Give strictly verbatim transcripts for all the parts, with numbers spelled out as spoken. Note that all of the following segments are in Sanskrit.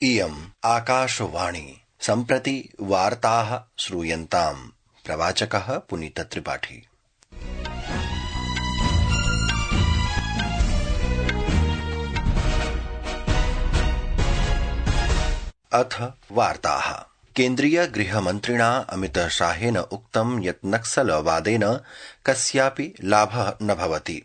इयम् आकाशवाणी सम्प्रति वार्ताः श्रूयन्ताम्। प्रवाचकः पुनीत त्रिपाठी। अथ वार्ताः। केन्द्रीय गृहमन्त्रिणा अमित शाहेन उक्तं यत् नक्सलवादेन कस्यापि लाभः न भवति,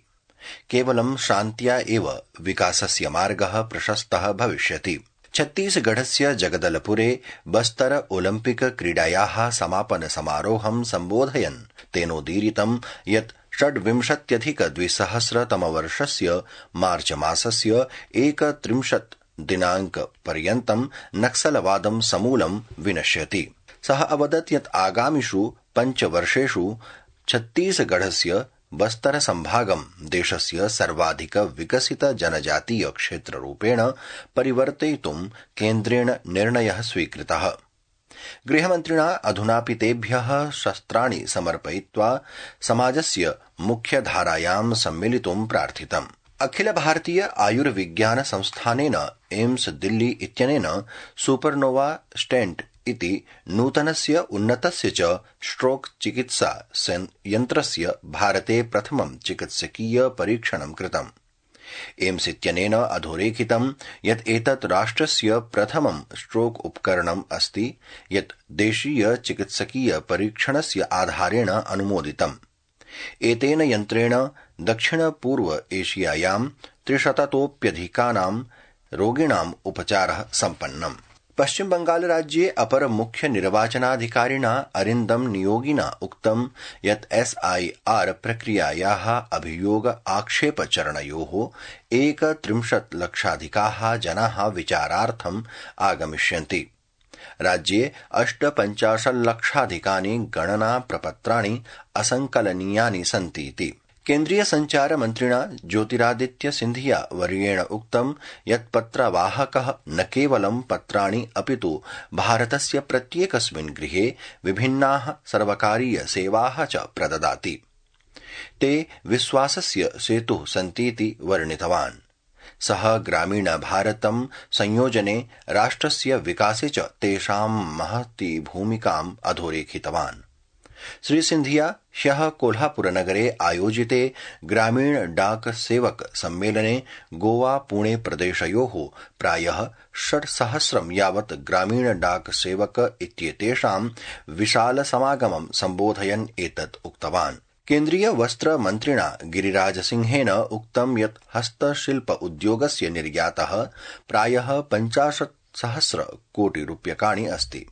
केवलं शान्त्या एव विकासस्य मार्गः प्रशस्तः भविष्यति। छत्तीसगढ़स्य जगदलपुरे बस्तर ओलम्पिक क्रीडायाः समापन समारोहं सम्बोधयन् तेनोदीरितं यत् षड्विंशत्यधिक द्विसहस्रतमवर्षस्य मार्च मासस्य एकत्रिंशत् दिनांक पर्यन्तं नक्सलवादं समूलं विनश्यति। सः अवदत् यत् आगामिषु पञ्चवर्षेषु छत्तीसगढ़स्य बस्तर संभागं देशस्य सर्वाधिक विकसित जनजातीय क्षेत्ररूपेण परिवर्तयितुं केन्द्रेण निर्णयः स्वीकृतः। गृहमन्त्रिणा अधुनापि तेभ्यः शस्त्राणि समर्पयित्वा समाजस्य मुख्यधारायां सम्मिलितुं प्रार्थितम्। अखिल भारतीय आयुर्विज्ञान संस्थानेन एम्स दिल्ली इत्यनेन सुपरनोवा स्टेंट इति नूतनस्य उन्नतस्य च स्ट्रोक चिकित्सा यन्त्रस्य भारते प्रथमं चिकित्सकीय परीक्षणं कृतम्। एम्स इत्यनेन अधोरेखितं यत् एतत् राष्ट्रस्य प्रथमं स्ट्रोक उपकरणम् अस्ति यत् देशीय चिकित्सकीय परीक्षणस्य आधारेण अनुमोदितम्। एतेन यन्त्रेण दक्षिण पूर्व एशियायां त्रिशततोप्यधिकानां रोगिणाम् उपचारः सम्पन्नम्। पश्चिम बंगाल राज्ये अपर मुख्य निर्वाचनाधिकारिणा अरिन्दम नियोगिना उक्तं यत् एस आई आर प्रक्रियायाः अभियोग आक्षेप चरणयोः एकत्रिंशत् लक्षाधिकाः जनाः विचारार्थम् आगमिष्यन्ति। राज्ये अष्टपञ्चाशल्लक्षाधिकानि गणना प्रपत्राणि असंकलनीयानि सन्तीति। केन्द्रीय संचार मन्त्रिणा ज्योतिरादित्य सिंधिया वर्येण उक्तं यत् पत्रवाहकः न केवलं पत्राणि अपितु भारतस्य प्रत्येकस्मिन् गृहे विभिन्नाः सर्वकारीय सेवाः च प्रददाति। ते विश्वासस्य सेतुः सन्तीति वर्णितवान्। सः ग्रामीण भारतं संयोजने राष्ट्रस्य विकासे च तेषां महती भूमिकाम् अधोरेखितवान्। श्री सिंधिया ह्यः कोल्हापुरनगरे आयोजिते ग्रामीण डाक सेवक सम्मेलने गोवा पुणे प्रदेशयोः प्रायः षट्सहस्रं यावत् ग्रामीण डाक सेवक इत्येतेषां विशाल समागमं सम्बोधयन् एतत् उक्तवान्। केन्द्रीय वस्त्र मन्त्रिणा गिरिराज सिंहेन उक्तं यत् हस्तशिल्प उद्योगस्य निर्यातः प्रायः पञ्चाशत् सहस्र कोटि रूप्यकाणि अस्ति,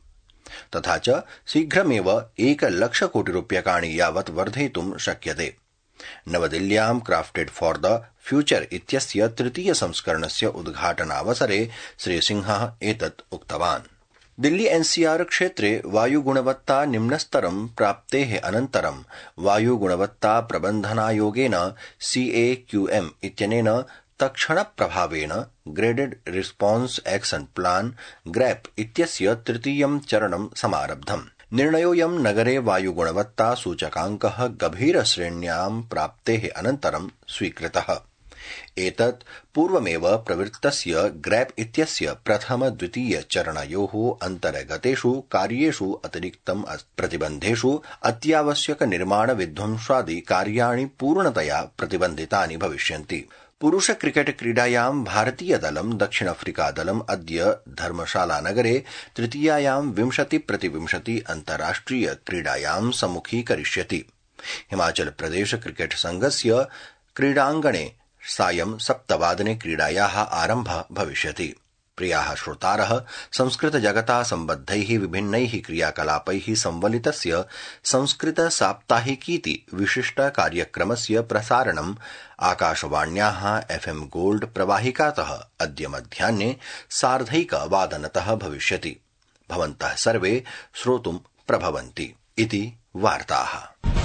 तथा च शीघ्रमेव एकलक्ष कोटि रूप्यकाणि यावत् वर्धयितुं शक्यते। नवदिल्ल्यां क्राफ्टेड फॉर द फ्यूचर इत्यस्य तृतीय संस्करणस्य उद्घाटनावसरे श्रीसिंहः एतत् उक्तवान्। दिल्ली एनसीआर क्षेत्रे वायुगुणवत्ता निम्नस्तरं प्राप्तेः अनन्तरं वायुगुणवत्ता प्रबन्धनायोगेन सीएक्यूएम इत्यनेन तत्क्षणप्रभावेन graded response action plan GRAP इत्यस्य तृतीयं चरणं समारब्धम्। निर्णयोऽयं नगरे वायुगुणवत्ता सूचकाङ्कः गभीरश्रेण्यां प्राप्तेः अनन्तरं स्वीकृतः। एतत् पूर्वमेव प्रवृत्तस्य ग्रैप इत्यस्य प्रथम द्वितीय चरणयोः अन्तर्गतेषु कार्येषु अतिरिक्तम् प्रतिबन्धेषु अत्यावश्यक निर्माण विध्वंसादि कार्याणि पूर्णतया प्रतिबन्धितानि भविष्यन्ति। पुरुष क्रिकेट क्रीडायां भारतीय दलं दक्षिण अफ्रीका दलम् अद्य धर्मशालानगरे तृतीयायां विंशति प्रतिविंशति अन्ताराष्ट्रिय क्रीडायां सम्मुखीकरिष्यति। हिमाचल प्रदेश क्रिकेट संघस्य क्रीडाङ्गणे सायं सप्तवादने क्रीडायाः आरम्भः भविष्यति। प्रियाः श्रोतारः, संस्कृत जगता सम्बद्धैः विभिन्नैः क्रियाकलापैः संवलितस्य संस्कृत साप्ताहिकीति विशिष्ट कार्यक्रमस्य प्रसारणम् आकाशवाण्याः एफएम गोल्ड प्रवाहिकातः अद्य मध्याह्ने सार्धैकवादनतः भविष्यति। भवन्तः सर्वे श्रोतुं प्रभवन्ति इति वार्ताः।